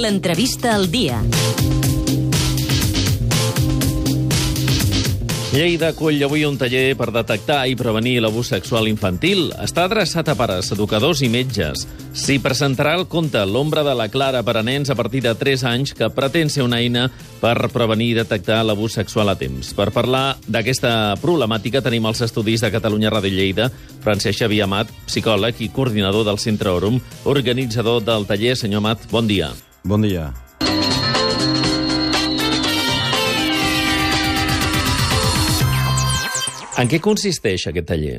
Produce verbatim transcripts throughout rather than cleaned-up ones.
L'entrevista al dia. Lleida acull avui un taller per detectar i prevenir l'abús sexual infantil. Està adreçat a pares, educadors i metges. S'hi presentarà el conte L'ombra de la Clara per a nens a partir de tres anys, que pretén ser una eina per prevenir i detectar l'abús sexual a temps. Per parlar d'aquesta problemàtica tenim als estudis de Catalunya Ràdio Lleida Francesc Xavier Amat, psicòleg i coordinador del Centre Òrum, organitzador del taller. Senyor Amat, bon dia. Bon dia. En què consisteix aquest taller?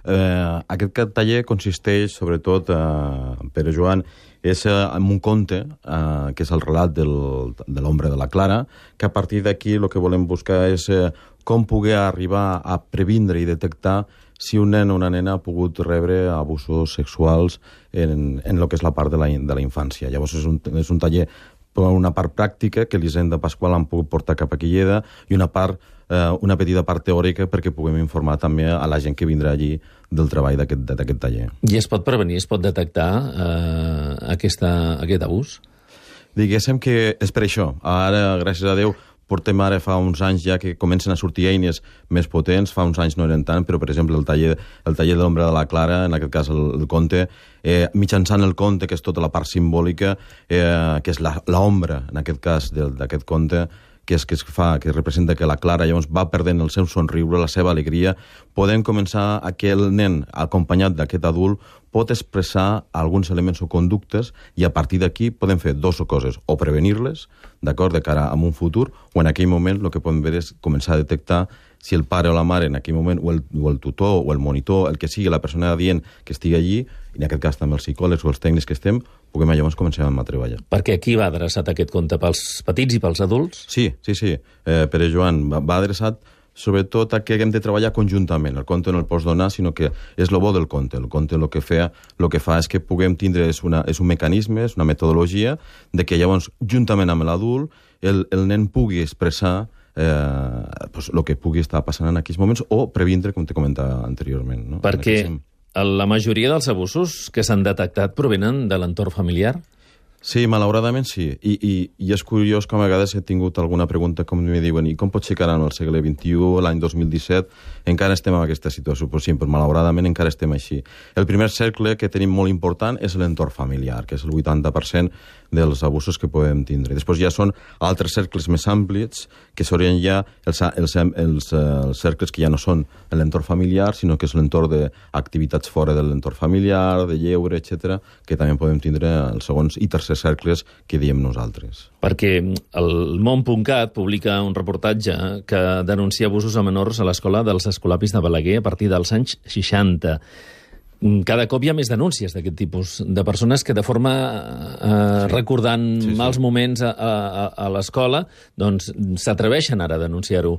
Eh, aquest taller consisteix, sobretot, eh, Pere Joan, és eh, en un conte, eh, que és el relat del, de l'ombra de la Clara, que a partir d'aquí el que volem buscar és eh, com poder arribar a previndre i detectar si un nen o una nena ha pogut rebre abusos sexuals en, en el que és la part de la, de la infància. Llavors és un, és un taller per una part pràctica que l'Hisenda Pasqual han pogut portar cap a Lleida i una part eh, una petita part teòrica perquè puguem informar també a la gent que vindrà allí del treball d'aquest taller. I es pot prevenir, es pot detectar eh, aquesta, aquest abús? Diguéssim que és per això. Ara, gràcies a Déu, portem ara fa uns anys ja que comencen a sortir eines més potents, fa uns anys no eren tant, però per exemple el taller, el taller de l'ombra de la Clara, en aquest cas el, el conte, eh, mitjançant el conte, que és tota la part simbòlica, eh, que és l'ombra, en aquest cas, d'aquest conte, que és que es fa, que representa que la Clara llavors va perdent el seu somriure, la seva alegria, podem començar a que el nen, acompanyat d'aquest adult, pot expressar alguns elements o conductes i a partir d'aquí podem fer dues coses, o prevenir-les, d'acord, de cara a un futur, o en aquell moment el que podem fer és començar a detectar si el pare o la mare en aquell moment, o el, o el tutor, o el monitor, el que sigui, la persona adient que estigui allí, i en aquest cas també els psicòlegs o els tècnics que estem, puguem llavors començar a treballar. Perquè aquí va adreçat aquest conte pels petits i pels adults? Sí, sí, sí. Eh, Pere Joan, va, va adreçat sobretot a que hem de treballar conjuntament. El conte no el pots donar, sinó que és el bo del conte. El conte el que, fa, el que fa és que puguem tindre, és, una, és un mecanisme, és una metodologia, de que llavors, juntament amb l'adult, el, el nen pugui expressar eh, pues, el que pugui estar passant en aquells moments o previndre, com t'he comentat anteriorment. No? Perquè la majoria dels abusos que s'han detectat provenen de l'entorn familiar? Sí, malauradament sí. I, i, I és curiós que a vegades he tingut alguna pregunta com me diuen, i com pot ser que ara en el segle vint-i-u, l'any dos mil disset, encara estem en aquesta situació? Pues sí, però malauradament encara estem així. El primer cercle que tenim molt important és l'entorn familiar, que és el vuitanta per cent dels abusos que podem tindre. Després ja són altres cercles més àmplis, que serien ja els, els, els, els cercles que ja no són l'entorn familiar, sinó que és l'entorn d'activitats fora de l'entorn familiar, de lleure, etcètera, que també podem tindre els segons i tercers cercles que diem nosaltres. Perquè el món.cat publica un reportatge que denuncia abusos a menors a l'escola dels Escolapis de Balaguer a partir dels anys seixanta. Cada cop hi ha més denúncies d'aquest tipus, de persones que de forma, eh, sí. recordant sí, sí. mals moments a, a, a l'escola, doncs s'atreveixen ara a denunciar-ho.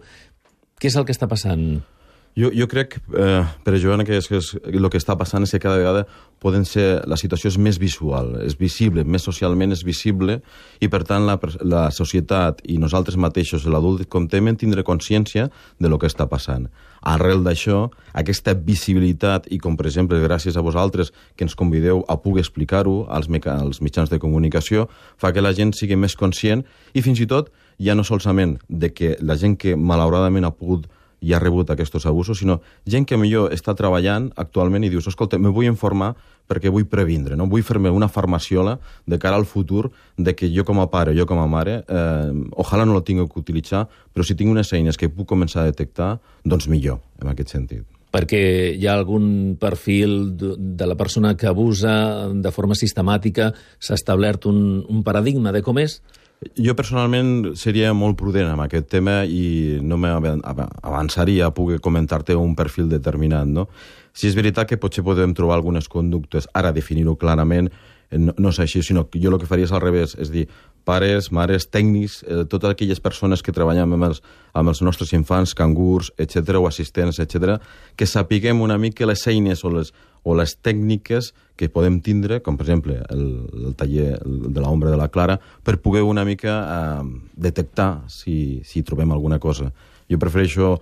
Què és el que està passant? Jo, jo crec, eh, Pere Joan, que, és, que és, el que està passant és que cada vegada poden ser, la situació és més visual, és visible, més socialment és visible, i per tant la, la societat i nosaltres mateixos, l'adult, comptem en tindre consciència de lo que està passant. Arrel d'això, aquesta visibilitat, i com per exemple gràcies a vosaltres que ens convideu a poder explicar-ho als, als mitjans de comunicació, fa que la gent sigui més conscient i fins i tot ja no solament de que la gent que malauradament ha pogut i ha rebut aquests abusos, sinó gent que millor està treballant actualment i dius, escolta, me vull informar perquè vull previndre, no? Vull fer-me una farmaciola de cara al futur de que jo com a pare, jo com a mare, eh, ojalà no la tinc que utilitzar, però si tinc unes eines que puc començar a detectar, doncs millor, en aquest sentit. Perquè hi ha algun perfil de la persona que abusa de forma sistemàtica, s'ha establert un, un paradigma de com és? Jo personalment seria molt prudent amb aquest tema i no m'avançaria a poder comentar-te un perfil determinat, no? Si és veritat que potser podem trobar algunes conductes, ara definir-ho clarament, no, no és així, sinó que jo el que faria és al revés, és dir, pares, mares, tècnics, eh, totes aquelles persones que treballen amb els, amb els nostres infants, cangurs, etcètera, o assistents, etcètera, que sapiguem una mica les eines o les, o les tècniques que podem tindre, com per exemple el, el taller de l'ombra de la Clara, per poder una mica eh, detectar si, si trobem alguna cosa. Jo prefereixo,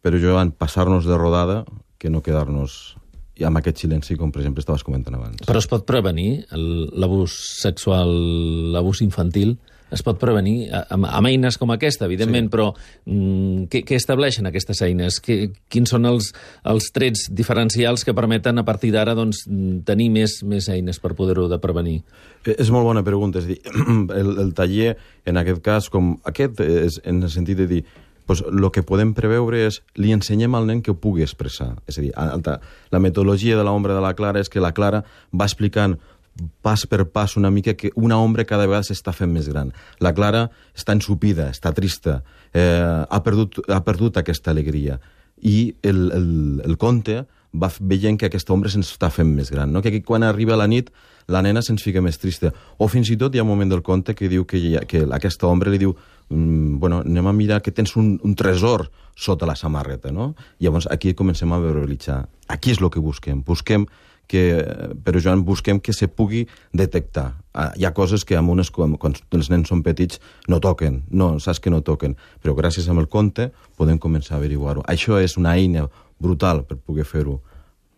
però jo, passar-nos de rodada que no quedar-nos amb aquest silenci, com per exemple estaves comentant abans. Però es pot prevenir l'abús sexual, l'abús infantil? Es pot prevenir amb, amb eines com aquesta, evidentment, sí. Però mm, què, què estableixen aquestes eines? Que, quins són els, els trets diferencials que permeten a partir d'ara doncs, tenir més, més eines per poder-ho de prevenir? És molt bona pregunta. És dir, el, el taller, en aquest cas, com aquest, és en el sentit de dir pues, el que podem preveure és li ensenyem al nen que ho pugui expressar. És a dir, la metodologia de l'ombra de la Clara és que la Clara va explicant pas per pas una mica que una ombra cada vegada s'està fent més gran. La Clara està ensupida, està trista, eh, ha, perdut, ha perdut aquesta alegria. I el, el, el conte va veient que aquesta ombra se'ns està fent més gran, no? Que quan arriba la nit la nena se'ns fica més trista. O fins i tot hi ha un moment del conte que diu que, ha, que aquesta ombra li diu mm, bueno, anem a mirar que tens un, un tresor sota la samarreta, no? I llavors aquí comencem a verbalitzar. Aquí és el que busquem. Busquem que, però Joan, busquem que se pugui detectar. Hi ha coses que amb unes, quan els nens són petits no toquen, no, saps que no toquen, però gràcies al conte podem començar a averiguar-ho. Això és una eina brutal per poder fer-ho.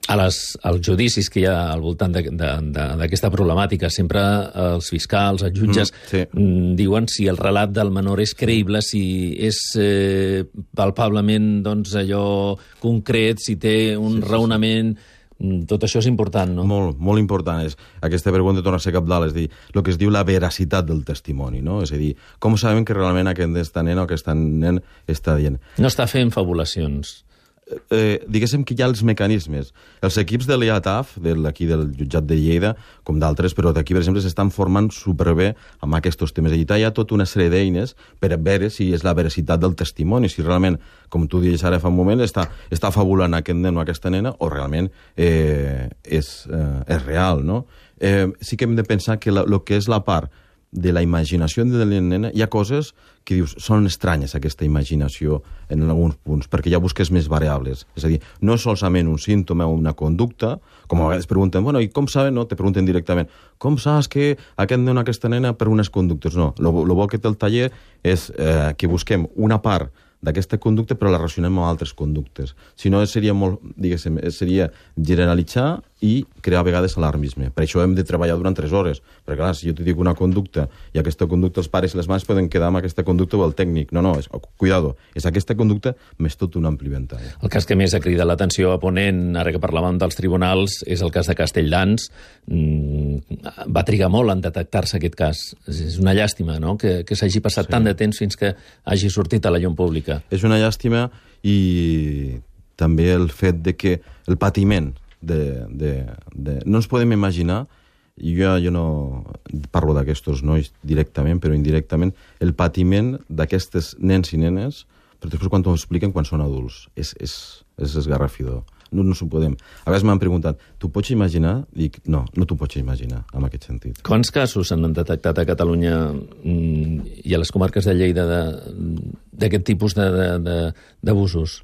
A les, als judicis que hi ha al voltant d'aquesta problemàtica, sempre els fiscals, els jutges, mm, sí. diuen si el relat del menor és creïble, si és eh, palpablement doncs, allò concret, si té un sí, sí, raonament... Sí. Tot això és important, no? Molt, molt important. És, aquesta pregunta torna a ser cabdal, és dir, el que es diu la veracitat del testimoni, no? És a dir, com sabem que realment aquesta nena o aquest nen està dient? No està fent fabulacions. Eh, diguéssim que hi ha els mecanismes. Els equips de l'I A T A F, d'aquí del jutjat de Lleida, com d'altres, però d'aquí, per exemple, s'estan formant superbé amb aquests temes. Allà hi ha tota una sèrie d'eines per veure si és la veracitat del testimoni, si realment, com tu dius ara fa un moment, està, està fabulant aquest nen o aquesta nena, o realment eh, és, eh, és real, no? Eh, sí que hem de pensar que el que és la part de la imaginació de la nena, hi ha coses que dius, són estranyes aquesta imaginació en alguns punts, perquè ja busques més variables. És a dir, no és solament un símptoma o una conducta, com a vegades pregunten, bueno, i com saben, no? Te pregunten directament, com saps que aquest nen o aquesta nena per unes conductes? No, el bo que té el taller és eh, que busquem una part d'aquesta conducta però la relacionem amb altres conductes. Si no, seria molt, diguéssim, seria generalitzar i crear a vegades alarmisme. Per això hem de treballar durant tres hores. Perquè, clar, si jo te dic una conducta i aquesta conducta els pares i les mares poden quedar amb aquesta conducta o el tècnic. No, no, és, cuidado, és aquesta conducta més tot un ampli ventall. El cas que més ha cridat l'atenció a Ponent, ara que parlàvem dels tribunals, és el cas de Castelldans. Mm, va trigar molt en detectar-se aquest cas. És una llàstima, no?, que, que s'hagi passat sí. tant de temps fins que hagi sortit a la llum pública. És una llàstima i també el fet de que el patiment de, de, de... no ens podem imaginar, jo, jo no parlo d'aquests nois directament, però indirectament, el patiment d'aquestes nens i nenes, però després quan t'ho expliquen quan són adults. És, és, és esgarrafidor. No, no s'ho podem. A vegades m'han preguntat, tu pots imaginar? Dic, no, no t'ho pots imaginar, en aquest sentit. Quants casos s'han detectat a Catalunya i a les comarques de Lleida d'aquest tipus d'abusos?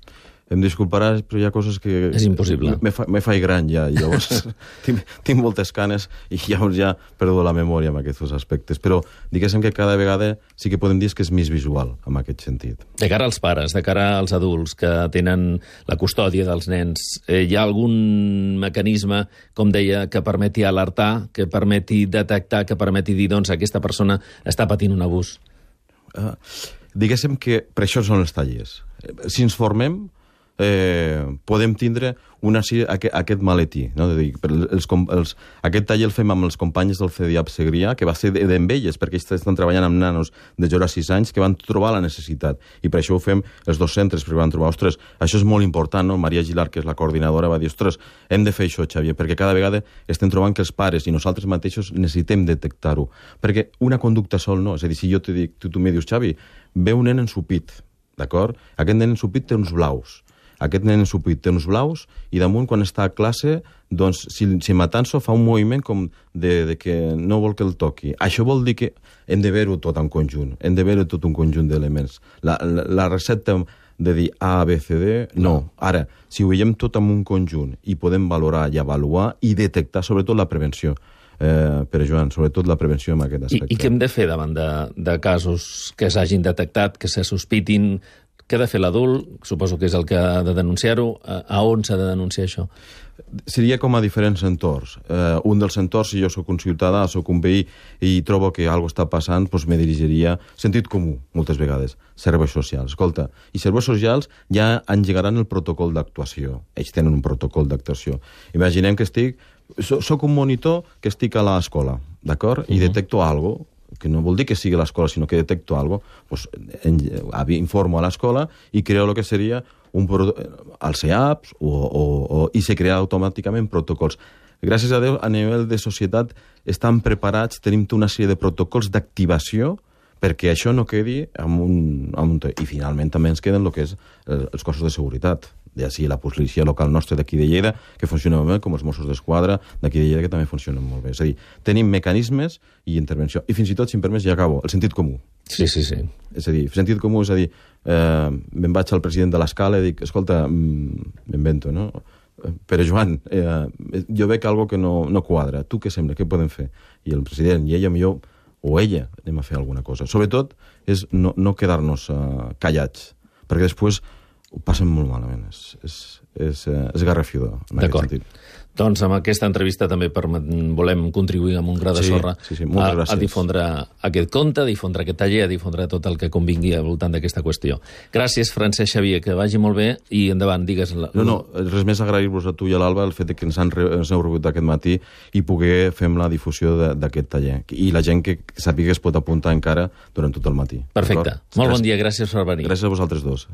Em disculparàs, però hi ha coses que... És impossible. Me, fa, me faig gran ja, i llavors tinc, tinc moltes canes i llavors ja perdo la memòria en aquests aspectes. Però diguéssim que cada vegada sí que podem dir que és més visual, en aquest sentit. De cara als pares, de cara als adults que tenen la custòdia dels nens, eh, hi ha algun mecanisme, com deia, que permeti alertar, que permeti detectar, que permeti dir, doncs, aquesta persona està patint un abús? Uh, diguéssim que per això són els tallers. Si ens formem, Eh, podem tindre una, aquest, aquest maletí. No? Dir, els, els, aquest taller el fem amb els companys del C D I A P Segrià, que va ser d'en elles, perquè ells estan treballant amb nanos de zero a sis anys que van trobar la necessitat. I per això ho fem els dos centres, perquè van trobar, ostres, això és molt important, no? Maria Gilar, que és la coordinadora, va dir, ostres, hem de fer això, Xavier, perquè cada vegada estem trobant que els pares i nosaltres mateixos necessitem detectar-ho. Perquè una conducta sol no. És a dir, si jo te dic, tu, tu me dius, Xavi, ve un nen ensupit, d'acord? Aquest nen ensupit té uns blaus. Aquest nen ensupit té uns blaus i damunt, quan està a classe, doncs, si, si matant-s'ho fa un moviment com de, de que no vol que el toqui. Això vol dir que hem de veure-ho tot en conjunt, hem de veure tot un conjunt d'elements. La, la, la recepta de dir A, B, C, D, no. Ara, si ho veiem tot en un conjunt i podem valorar i avaluar i detectar, sobretot la prevenció, eh, per Joan, sobretot la prevenció en aquest aspecte. I, i què hem de fer davant de, de casos que s'hagin detectat, que se sospitin, Què ha de fer l'adult? Suposo que és el que ha de denunciar-ho. A on s'ha de denunciar això? Seria com a diferents entorns. Eh, un dels entorns, si jo sóc un ciutadà, sóc un veí i trobo que alguna cosa està passant, doncs me dirigiria sentit comú, moltes vegades, serveis socials. Escolta, i serveis socials ja engegaran el protocol d'actuació. Ells tenen un protocol d'actuació. Imaginem que estic... Soc un monitor que estic a l'escola, d'acord? I detecto alguna cosa, que no vol dir que sigui a l'escola, sinó que detecto alguna cosa, doncs informo a l'escola i creo el que seria un als E A Ps o, o, o, i se crea automàticament protocols. Gràcies a Déu, a nivell de societat estan preparats, tenim una sèrie de protocols d'activació perquè això no quedi amb un, amb un... I finalment també ens queden el que és els cossos de seguretat, ja sigui la policia local nostra d'aquí de Lleida, que funciona molt bé, com els Mossos d'Esquadra d'aquí de Lleida, que també funcionen molt bé. És a dir, tenim mecanismes i intervenció. I fins i tot, si em permets, ja acabo, el sentit comú. Sí, sí, sí. És a dir, sentit comú és a dir, eh, me'n vaig al president de l'escala i dic, escolta, m'invento, no? Pere Joan, eh, jo veig algo que no, no quadra. Tu què sembla? Què podem fer? I el president, i ella millor, o ella, anem a fer alguna cosa. Sobretot, és no, no quedar-nos uh, callats, perquè després ho passen molt malament. És, és, és, és garrafiador, en aquest sentit. Doncs amb aquesta entrevista també volem contribuir amb un gra de sí, sorra sí, sí, a, a difondre aquest conte, a difondre aquest taller, a difondre tot el que convingui al voltant d'aquesta qüestió. Gràcies, Francesc Xavier, que vagi molt bé i endavant, digues... La... No, no, res més agrair-vos a tu i a l'Alba el fet que ens, han re, ens heu rebut aquest matí i poder fer la difusió d'aquest taller. I la gent que sàpiga que es pot apuntar encara durant tot el matí. Perfecte. Molt bon dia, gràcies per venir. Gràcies a vosaltres dos.